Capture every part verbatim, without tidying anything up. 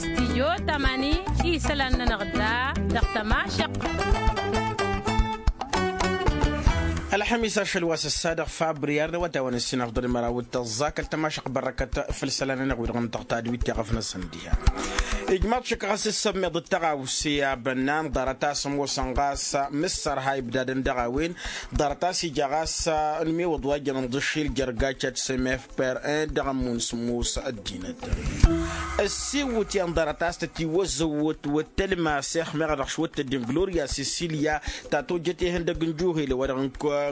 Stijyo tamani isălan-nănăɣ da dăɣ-tămašăq. Ălxămis ašăl wa s-ăssa dăɣ-fabriyar n-awătawăn ǝssin afḍăl măraw d-tăẓẓa kăl-tămašăq bărrăkăt făll-isălan-nănăɣ wi-dăɣ n-tăɣtad wi t-iɣăf-năsăn diha. Ijmaḍ šăkk ɣas s-sămmiḍ d-tăɣawse abănnan ḍarăt a-s ămoosăn ɣas mǝssărha ibdadăn dăɣ-a-wen ḍarăt a-s ija ɣas n-imiwǝḍ wa jăn ǝnḍǝššil jer-gacat s-emef per-en dăɣ-ămmun sǝmmos ăddinăt. Ăssiwǝtyan ḍarăt a-s tătiwăzzăwăt wăt tălmasex meɣ dăɣ-s wăt tăddin gloria sisilya ta tojjăt ihăndăg n-juhel wa-dăɣ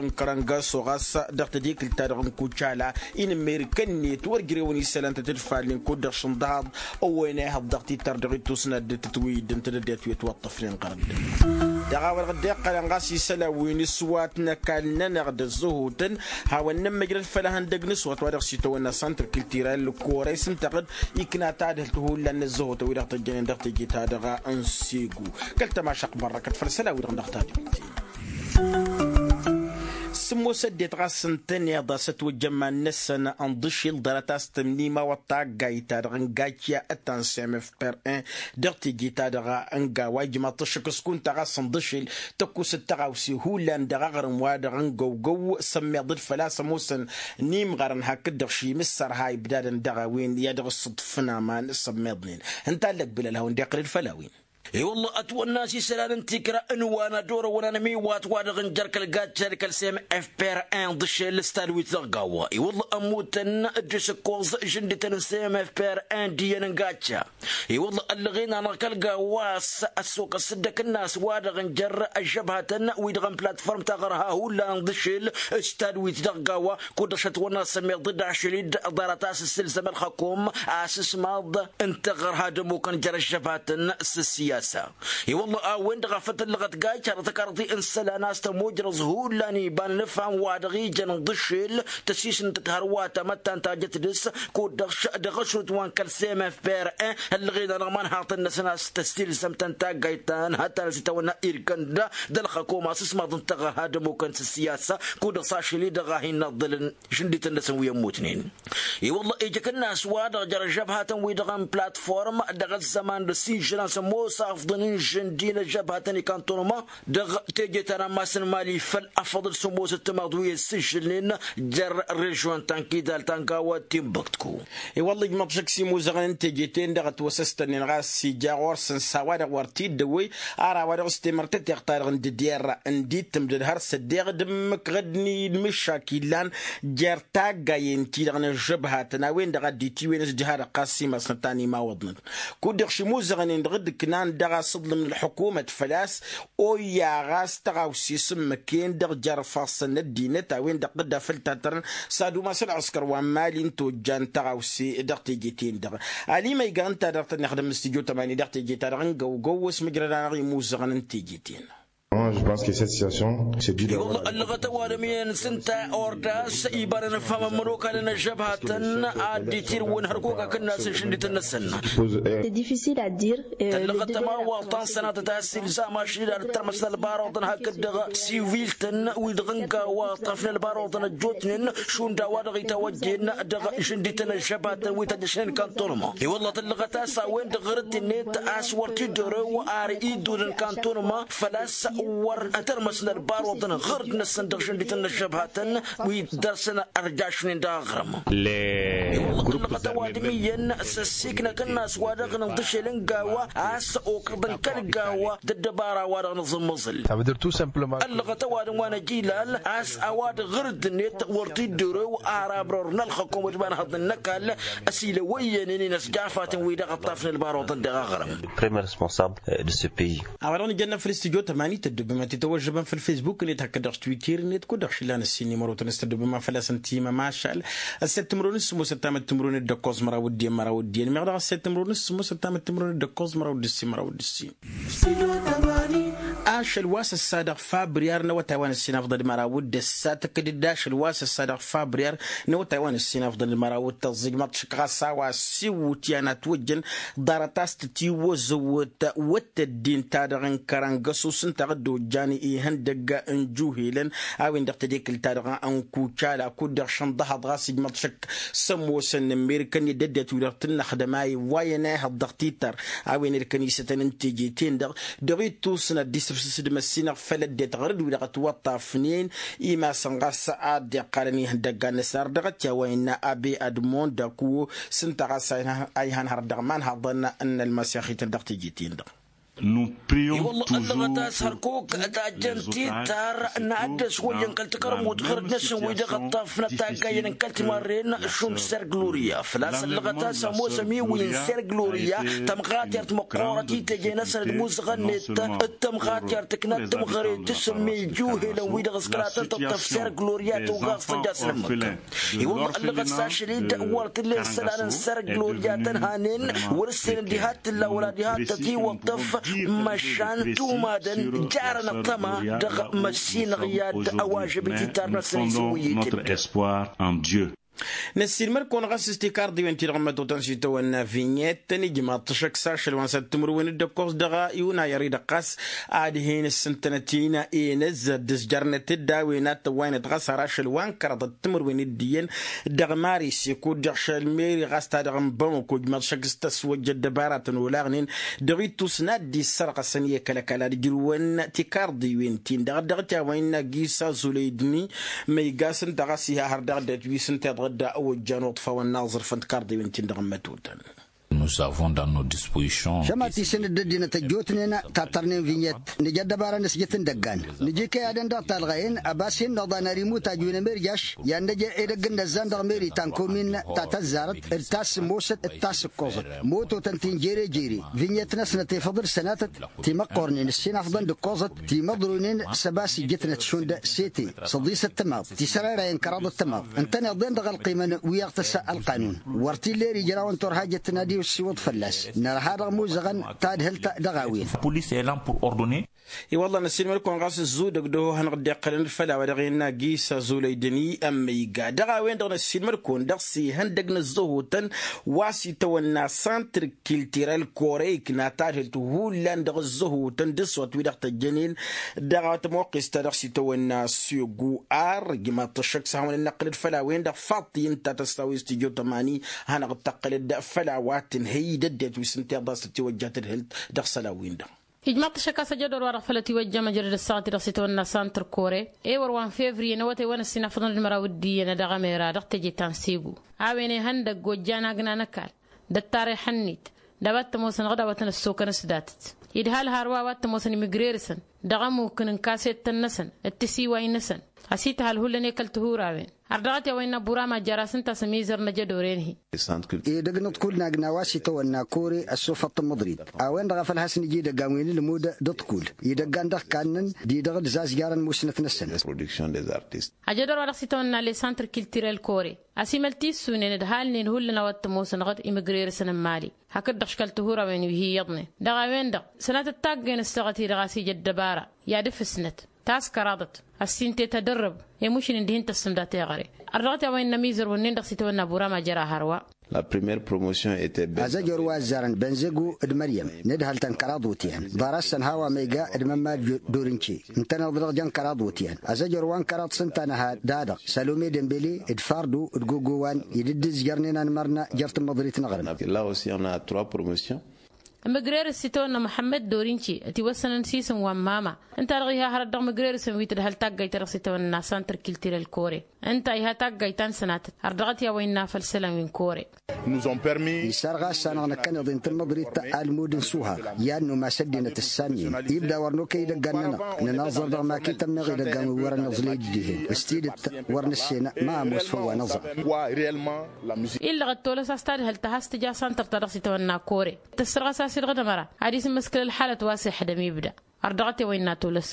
n-kărăngaso ɣas dăɣ-tadikǝlt-ta-dăɣ n-kucala inǝmmerǝk-net wăr jrewăn isălan tăt-dd-fallen kud-dăɣ šǝnḍahaḍ. Ăwwăyăn ehăḍ dăɣ-tittăr dăɣ-ittus n-addǝtăt wi dd-ǝntădăddet wi ătwăṭṭăfnen ɣărăt-dăɣ. Dăɣ-a-wa-dăɣ dd-iqqălăn ɣas isălan wi n-s-wa t-năkall-nănăɣ d-ăzzăhutăn hawăn-nămmăjrăd făll-ehăndăg n-s-wa t-wa dăɣ-s itawănna săntr-kǝltiral kore-s ǝnta-ɣ-dd ikna tadhǝlt hullan n-ăzzăhutăn wi-dăɣ tăjjănen dăɣ-teje-ta-dăɣ n-segu. Kăl-tămašăq bărrăkăt făll-isălan wi-dăɣ n-dăɣ-tadhǝlt. Sǝmmos ăddinăt ɣas ǝntăneḍ a-s ătwăjja iman-năsăn ănḍǝšil ḍarăt a-s tămnimawăḍ taggayt-ta-dăɣ n-gacya ǝttan s-emef per-en dăɣ-teje-ta-dăɣ n-gawa ijmaḍ-t ăššăk s-kunta ɣas ănḍǝšil tăkkusăt tăɣawse hullan dăɣ-aɣrǝm-wa-dăɣ n-găwgăw sămmiḍăd făl-a-s ămoosăn n-imɣărăn hakd-dăɣ šimǝssărha ibdadăn dăɣ-a-wen i-ad-dăɣ-ǝssǝḍfǝn aman sămmiḍnen. Ǝnta a ǝllăg bilal hawăn-dd-iqqǝlăd făll-a-wen. I-wălla ătwănna a-s isălan n-tikra n-wa n-ad-orăwăn anămiwat-wa-dăɣ n-jer-kăl-gad šerkăl s-emef per-en d-ašel s-tadwit dăɣ-gawa i-wălla ămmutăn d-isǝkkoẓ žǝndităn s-emef per-en d-iyyăn n-gacca. I-wălla ăllăɣen-anăɣ kăl-gawa a-s ăssokăs s-dd-ăkǝnnas-wa-dăɣ n-jer-ăžžăbhatăn wi-dăɣ n-platform taɣărha hullan d-ašel s-tadwit dăɣ-gawa kud-dăɣ šătwănna s-ămmiḍ d-ašel-dd ḍarăt a-s ǝssǝlzăm ălxăkom a-s ǝsmaḍ n-taɣărha d-ămmukăn jer-ăžžăbhatăn s-ăssiyasa. I-wălla a-wen-dăɣ a făt ǝllăɣăt gayt-ta-dăɣ tăkarḍe n-isălan a-s tămojrăẓ hullan iba n-inǝfham wa dăɣ-ijăn ǝnḍǝšel tăsisnǝtăt hărwa tamăttant ta jăt dăɣ-s kud-dăɣ dăɣ-ašrǝt wa n-kăl-semef per-en ăllăɣen-anăɣ imanhaḍăn-năsăn a-s tăssilzăm-tăn taggayt ta n-hătăn a-s itawănna irkănd d-ălxăkom a-s ǝsmaḍ n-taɣărha d-ămmukăn s-ăssiyasa kud-dăɣ s-ašăl-i-dăɣ a hin-iḍǝlăn žǝndităn-năsăn wi ămmutnen. I-wălla ija akǝnnas-wa-dăɣ jer-ăžžăbhatăn-wi-dăɣ n-platform dăɣ-ăzzăman d-ăssižălan sămoos afḍăn n-žǝndi n-ăžžăbhatăn ikantonăma dăɣ-teje ta n-ammas n-imali făll-afăḍăl sămoos ăttămaḍ wi ăssižălnen jer-režion ta n-kidal ta n-gawa timbăktku. I-wălla ijmăḍ šăkk s-imuzăɣăn n-teje-ten-dăɣ ătwăsăstănnen ɣas ija ɣur-săn s-a-wa-dăɣ wăr t-dd-ăwwăy. Ar a-wa dăɣ-s temărtăteɣt ta-dăɣ n-dd-irra n-dd-ittǝmdăd har s-ăddeɣ d-ǝmmǝk ɣǝdni d-mǝššak illan jer-taggayen-ti-dăɣ n-ăžžăbhatăn a-wen-dăɣ a dd-itiwen s-dd-ha-dăɣ ɣas imasnăt ta n-imawăḍnăt kud-dăɣ šimuzăɣnen-dăɣ dd-ǝknan dăɣ-asǝḍlǝm n-ălḥukumăt făl-a-s oyya ɣas tăɣawse s-ǝmmǝk-en-dăɣ jer-ifassăn n-ăddinăt a-wen-dăɣ dd-afăl tattărăn s-ad-umas ălɣǝskăr wa n-imali n-tojjan tăɣawse dăɣ-teje-ten-dăɣ. Alima iga ǝnta-dăɣ tăn-ixdǝm n-studyo tămani dăɣ-teje-ta-dăɣ n-găwgăw s-mǝjrăd-anăɣ imuzăɣăn n-teje-ten. Ǝllăɣăt ăwadǝm iyyăn s-ǝnta ordas iba n-inǝfham ămmănokal n-ăžžăbhatăn a dd-itirǝwăn hărkok akǝnnas n-išǝndităn-năsăn. Tăllăɣăt tămawaḍt ta n-sănatăt a ăssiilzam ašăl-i d-ad-ǝttărmăs n-ălbaroḍăn hakd-dăɣ siwil-tăn wi-dăɣ n-gawa ǝṭṭăfnen ălbaroḍăn ăjjootnen šund a-wa-dăɣ itawăjjen dăɣ-išǝndităn ăžžăbhatăn wi tăjjăšnen kantonăma. I-wălla tăllăɣăt a-s a-wen-dăɣ ɣărăt-net a-s wăr t-dd-orew ar iddun n-kantonăma făl-a-s wăr ătărmăsnăt baroḍăn ɣărd-năsăn dăɣ-žǝndităn n-ăžžăbhatăn wi dăr-săn ărjašnen dăɣ-aɣrǝm. I-wălla tăllăɣăt ăwadǝm iyyăn s-ăssiiknăk ǝnnas wa dăɣ-nǝnḍǝšel n-gawa a-s okăḍăn kăl-gawa d-ăddăbara wa dăɣ-nǝẓǝmmăẓǝl. Ăllăɣăt ăwadǝm wa n-ăjilal a-s a-wa dăɣ-ɣărd-net wăr t-dd-orew ar abror n-ălxăkom d-imanhăḍ n-ăkall ăsilăwăyyănen inăsjafatăn wi-dăɣ ǝṭṭafnen ălbaroḍăn dăɣ-aɣrǝm. Premier responsable de ce pays. A-wa dăɣ-nǝjănna făll-studyo tămani tăddobem ad-t-tăwăžžăbăm făll-facebook-net hakd dăɣ-twitter-net kud-dăɣ šillan ăssin n-imărotăn s-tăddobem a făl-a-s ǝnta i-mămašal ăsset timǝrwen s-sǝmmos ăttamăt timǝrwen d-ǝkkoẓ măraw d-iyyăn măraw d-iyyăn meɣ dăɣ-ăsset timǝrwen s-sǝmmos ăttamăt timǝrwen d-ǝkkoẓ măraw d-ǝssin măraw d-ǝssin. Ašăl wa s-ăssa dăɣ-fabriyar n-awătay wa n-ǝssin afḍăn d-măraw d-ăssa tǝkkǝd-dd ašăl wa s-ăssa dăɣ-fabriyar n-awătay wa n-ǝssin afḍăn d-măraw d-tăẓẓijmăḍ šăkk ɣas a-wa s-iwwǝtyan a ătwăjjăn ḍarăt a-s tătiwăzăwăt wăt tăddin-ta-dăɣ n-kărăngăsus ǝnta ɣǝddojjan ihăndăgg n-juhelăn a-wen-dăɣ tedekǝlt-ta-dăɣ n-kucala kud-dăɣ šănḍăhăḍ ɣas ijmăḍ šăkk s-ămoosăn n-amerika-net d-ăddinăt-wi-dăɣ tǝnnăxdăm a iwwayăn a ihăḍ dăɣ-titar a-wen ed kănisătăn n-teje-ten-dăɣ dăɣ-ittus n-ad-dd-isǝfsǝs d-măssinăɣ făll-ăddinăt ɣărăt-wi-dăɣ ătwăṭṭafnen imasăn ɣas ad-dd-iqqalăn ihăndăggan-năsăn ar dăɣ-t i-a-wa innă abe admond d-aku s-ǝnta ɣas a ihanhărăt dăɣ-imanhaḍăn n-ălmăsixităn dăɣ-teje-ten-dăɣ. I-wălla ăllăɣăt a-s hărkuk tajjăn titar n-ad-dd-ăswăjjăn kăl-takărmut ɣărăt-năsăn wi-dăɣ ǝṭṭafnăt taggayăn n-kăl-timarren šund sergloria făl-a-s ăllăɣăt a-s ămoos ămiwǝy n-sergloria tămɣatyărt măqqoorăt i-teje-năsăn d-imuzăɣăn-net d-tămɣatyărt ǝknat tǝmɣăre tǝsǝmmǝy juhelăn wi-dăɣ s-kăla tăn-tǝṭṭăf sergloria tăwgaẓ tăjja s-inǝmmǝk. I-wălla ăllăɣăt s-ašăl-dd wăr t-ǝllen isălan n-sergloria tăn-hanen wăr-ǝssenăn diha t-tǝlla wăla diha t-tătiwăṭṭăf. Măšan tumadăn jarăn ăṭṭăma dăɣ-măssinăɣ i-ad-ăwažăb i-titar-năsăn isǝwǝyy-t-dd. Notre espoir en dieu. Năssiinmăr-kăwăn ɣas s-tikarḍiwen-ti-dăɣ n-mătotăn s-itawănna vinyet tăn-ijmaḍ-t šăkk s-ašăl wa n-săr timǝrwen d-ǝkkoẓ dăɣ-iwna i-ărridăɣ ɣas ad-hin-ǝssǝntănăt-in enăzzăr d-ǝzjărnăt-dd a-wen ad-tăwwaynăt ɣas har ašăl wa n-kăraḍăt timǝrwen d-iyyăn dăɣ-mari seko d-iɣšăl meri ɣas ta dăɣ-n bamăko ijmaḍ šăkk s-tăswăjja ăddăbaratăn olaɣnen dăɣ-ittus n-ad-dd-issărɣăsăn i-kăl-ăkall ad-ǝjrǝwăn tikarḍiwen-tin-dăɣ dăɣ-t i-a-wa innă gisa zuleydni. Ma iga s-ǝnta ɣas iha hăr dăɣ-dd-ătwis ǝnta iḍɣǝd ăwăjjan uḍfawăn n-aẓrǝfăn tikarḍiwen-tin-dăɣ n-mătotăn. Nous avons dans nos dispositions. Šămat-isǝn dd-ăddinăt ăjjootnen tattărnen vinyet nǝja ăddăbara n-asjăt n-idăggan nǝja ikăyadăn dăɣ-talɣayen ăbas hin-năḍan ar imut ajwen ămerjaš i-ad-năj edăgg n-inăzzan dăɣ-meri ta n-komin ta tăzzarăt d-ta s-sǝmmosăt d-ta-s-ǝkkoẓăt mototăn-tin jere-jere vinyet-năsnăt efăḍ d-sănatăt timăqqornen ǝssin afḍăn d-ǝkkoẓăt timăḍroynen s-ăbas ijjǝtnăt šund sete s-ăḍisăt tămaḍt tisărarayăn kăraḍăt tămaḍt ǝntăneḍ-en-dăɣ ălqimăn wi-aɣ tăssa ălqanun wăr t-illa eri ijrawăn turhajăt n-ad-iwǝssiwǝḍ fălla-s nărha dăɣ-imuzăɣăn tadhǝlt dăɣ-a-wen. I-wălla năssiinmăr-kăwăn ɣas ǝzzudăg d-ăhohănăɣ dd-iqqălăn d-făll-a-wa dăɣ-innă gisa zuleydăn i-ămmăyga dăɣ-a-wen-dăɣ năssiinmăr-kăwăn dăɣ-s ihăndăg n-ăzzăhotăn wa s-itawănna santr kiltirel koreyk n-ad-tadhǝlt hullan dăɣ-ăzzăhotăn d-ăswăt wi-dăɣ tăjjănen dăɣ-tămoqqes ta dăɣ-s itawănna s-igu ar ijmaḍ-t ăššăk s-ad-hawăn-in-năqqǝlăd făll-a-wen-dăɣ faḍt-i ǝnta tăssaw-i s-tijo tămani hanăɣ-dd-tăqqǝlăd făll-a-wa tǝnhăy d-ăddinăt wi s-ǝnta iḍas tătiwăjja tadhǝlt dăɣ-isălan-win-dăɣ. Ijmaḍ-t ăššăk a-s ajădor-wa-dăɣ făll-ătiwăjja măjrăd ăssaɣăt-i-dăɣ s-itawănna santr kore ewăr wa n-fevriye n-awătay wa n-ăssinafăḍăn d-măraw d-iyyăn dăɣ-emera dăɣ-teje ta n-segu a-wen ihăndăgg ojjan agna n-ăkall d-ăttar ihăn-net d-a-wa t-ămoosăn ɣǝd a-wa tăn-ăssokăn s-datăt idhal hărwa a-wa t-ămoosăn imigrerǝsăn dăɣ-ămukǝn n-kasettăn-năsăn d-tisiway-năsăn ăsităhăl hullan i-kăl-tihurawen ar dăɣ-t i-a-wa innă burama jăr-as ǝnta a-s ămizăr n-ajădor-en-hi. Edăgg n-aḍkul n-agna wa s-itawănna kore ăssofăḍ tǝmmǝḍrit a-wen-dăɣ a făl has-nǝja idăggan wi n-ǝlmud d-aḍkul idăggan dăɣ-kannăn d-idăɣ d-zazjarăn musnăt-năsăn. Ajădor wa dăɣ-s itawănna lesantr kiltirel kore ăsimăl tissunen d-halnen hullan a-wa t-ămoosăn ɣǝd imigrerǝsăn n-mali hakd-dăɣ škăl tihurawen wi hi-iyyăḍnen dăɣ-a-wen-dăɣ sănatăt taggăyăn ǝssaɣăt-i-dăɣ a-s ija ăddăbara i-ad-ǝfǝsnăt ta s-kăraḍăt ăssintet ad-ărrăb i-mušǝn-in dihin tăssǝmda teɣăre. Ărdăɣăt i-a-wa innă ămizăr wănnen-dăɣ s-itawănna burama jăr-a hărwa. Azăjor wa ăzzarăn bănzegu d-măryăm n-ǝdhăl-tăn kăraḍ wutyan ḍarăt-săn hawa ma iga d-mămmal dorince ǝntăneḍ-dăɣ jăn kăraḍ wutyan azăjor wa n-kăraḍ s-ǝnta nǝha da-dăɣ salome dembele d-fardu d-gogowan i-dd-ǝzjărnen anmărna jer-tǝmmăḍrit n-aɣrǝm. Ǝmǝgrerǝs s-itawănna muḥămmăd dorince ătiwăssănăn s-isǝm wa n-mama ǝnta-dăɣ iha hărăt dăɣ-imǝgrerǝsăn wi tǝdhăl taggayt-ta-dăɣ s-itawănna santr kiltirel kore ǝnta iha taggayt ta n-sănatăt har dăɣ-t i-a-wa innă făll-isălan wi n-kore. Isărɣas-anăɣ năkkăneḍ-i n-tǝmmǝḍrit almud n-suha i-ad-numas ăddinăt ǝssannen ibda wăr nokăy idăggan-nănăɣ nǝnaẓăr dăɣ-makităn-năɣ idăggan wi wărăn nǝẓlăy d-dihen s-tidǝt wăr nǝssenă ma ămoos făw wa năẓăɣ. Illăɣ d-tolăs a-s tadhǝlt a has-tǝja santăr-ta-dăɣ s-itawănna kore tăssărɣas a-s idăɣ d-ămăra ad-isǝmmǝskǝl ălxalăt wa s-ixdăm ibda. Ărdăɣăt i-a-wa innă tolăs.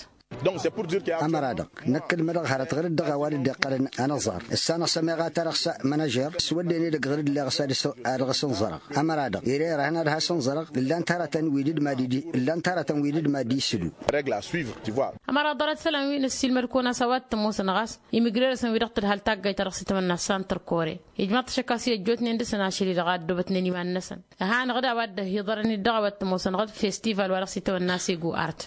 Ămăra-dăɣ năkk ǝlmădăɣ hărăt ɣǝr-dd dăɣ-a-wa dd-iqqălăn anăẓar ǝssanăɣ s-ămeɣ a tarăɣ s-mănăžer s-wădden edăgg ɣǝr-dd leɣ s-ad-dăɣ-s ănẓărăɣ. Ămăra-dăɣ ere ărhăn ad-has-ănẓărăɣ ǝllan-t hărătăn wi dd-mad-dd-isǝdu. Ămăra ḍarăt isălan wi n-ăssiilmăd-kăwăn a-s a-wa t-ămoosăn ɣas imǝgrerăsăn wi-dăɣ tǝdhal taggayt-ta-dăɣ s-itawănna s-santăr kore ijmaḍ-t ašăk a-s i-ăjjootnen dăɣ-săn ašăl-i-dăɣ a ăddoobătnen iman-năsăn. Ăhanăɣ-dd a-wa dd-ăhiḍărăn-dd dăɣ-a-wa t-ămoosănăɣ d-festival wa dăɣ-s itawănna s-ego art.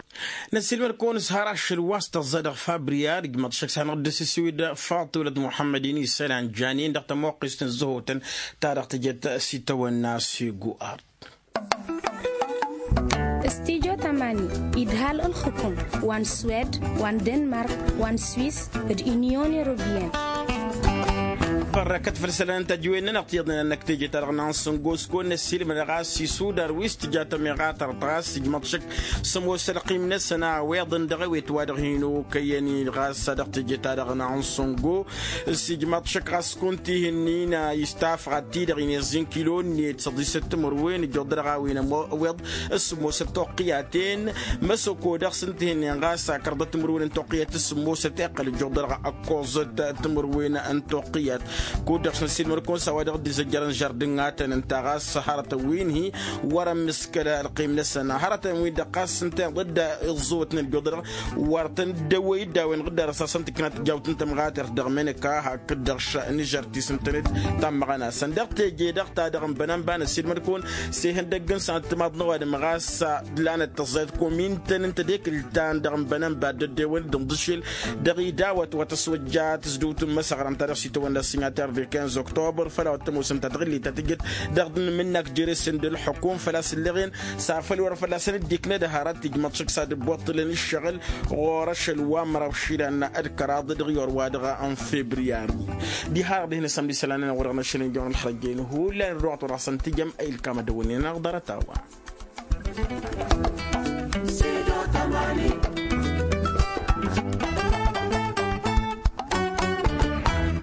Năssiilmăd-kăwăn s-har ašăl wa s-tăẓẓa dăɣ-fabriyar ijmaḍ-t ašăk s-hanăɣ-dd-asǝssiwǝd faḍt wălăt muḥămmăd-in isălan janen dăɣ-tămoqqist n-zăhotăn ta dăɣ-tǝjăt s-itawănna s-ego art. Studyo tamani idhal ǝlxǝkum wa n-swed wa n-denmark wa n-swis d-inyon europiyăn. Bărrăkăt făll-isălan n-tăjwen-nănăɣ tiyyăḍnen a ǝnnăk teje-ta-dăɣ n-ansǝngo s-kăwăn-năssiilmădăɣ a-s isudar wi s-tǝja tămeɣa tărtăɣ a-s ijmăḍ šăkk s-ămoos ălqim-năsăn a ăwweḍăn dăɣ-ewet wa dăɣ-hin-okăyăn-in ɣas a dăɣ-teje-ta-dăɣ n-ansǝngo. S-ijmăḍ šăkk ɣas kunta ihǝnnin a istafăɣ ad-t-dăɣ-inezǝn kilo-net săḍisăt timǝrwen ǝjjuḍ dăɣ-a-wen ămoos ăwweḍ s-sǝmmosăt toqqǝyaten. Măsoko dăɣ-s ǝnta ihǝnnin ɣas akărdăt timǝrwen n-toqqǝyat s-sǝmmosăt iqqăl ǝjjuḍ dăɣ-ăkkoẓăt timǝrwen n-toqqǝyat. Kud-dăɣ s-năssiilmăd-kăwăn s-a-wa dăɣ-dd-izăjjărăn žardǝn n-atăn ǝnta ɣas hărătăn wi n-hi wăr-ămmǝskăl ălqim-năsăn hărătăn wi n-dăɣ ɣas ǝnta iḍădd iẓẓǝwătnen ǝjjuḍălăɣ wăr tăn-dd-ăwwăy-dd a-wen ɣǝddar ăsasăn tǝknat tijawt n-tămɣatert dăɣ-menăka hakd-dăɣ š-nǝžăr ti s-ǝntănet. Tammăɣăn-asăn dăɣ-teje-dăɣ ta dăɣ-n bănănba n-ăssiilmăd-kăwăn s-ehăndăgg n-săn ăttămaḍ n-ăwadǝm ɣas d-lanăt tăẓẓayăt komintăn n-tedekǝlt ta n-dăɣ-n bănănba dd-ăddewăn d-inḍǝšel dăɣ-idawăt wa tăswăjja tǝzdǝwt n-imăsăɣra ǝnta dăɣ-s itawănna s-ingater de quinze octobre făll-a-wa t-ămoosăn ta tăɣǝllit ta tǝjjăt dăɣ-dd-nǝmǝnnak jere-sen d-ǝlḥǝkum făl-a-s ǝllăɣen. S-afăl wăr-fălla-săn dd-iknăd hărăt ijmăḍ šăkk s-ad-ǝbbuṭṭǝlăn ǝššăɣǝl ɣur-ašăl wa n-măraw išilan d-kăraḍ dăɣ-iwăr-wa-dăɣ n-febriyari. Diha-dăɣ dihen-asăn d-isălan-nănăɣ wa dăɣ-năšăl n-ijăwăn ălxărăjjăyăn hullan ăddoɣăt wăr-hasăn-tǝjăm a ilkam ad-ăwwălnen anăɣ ḍarăt a-wa.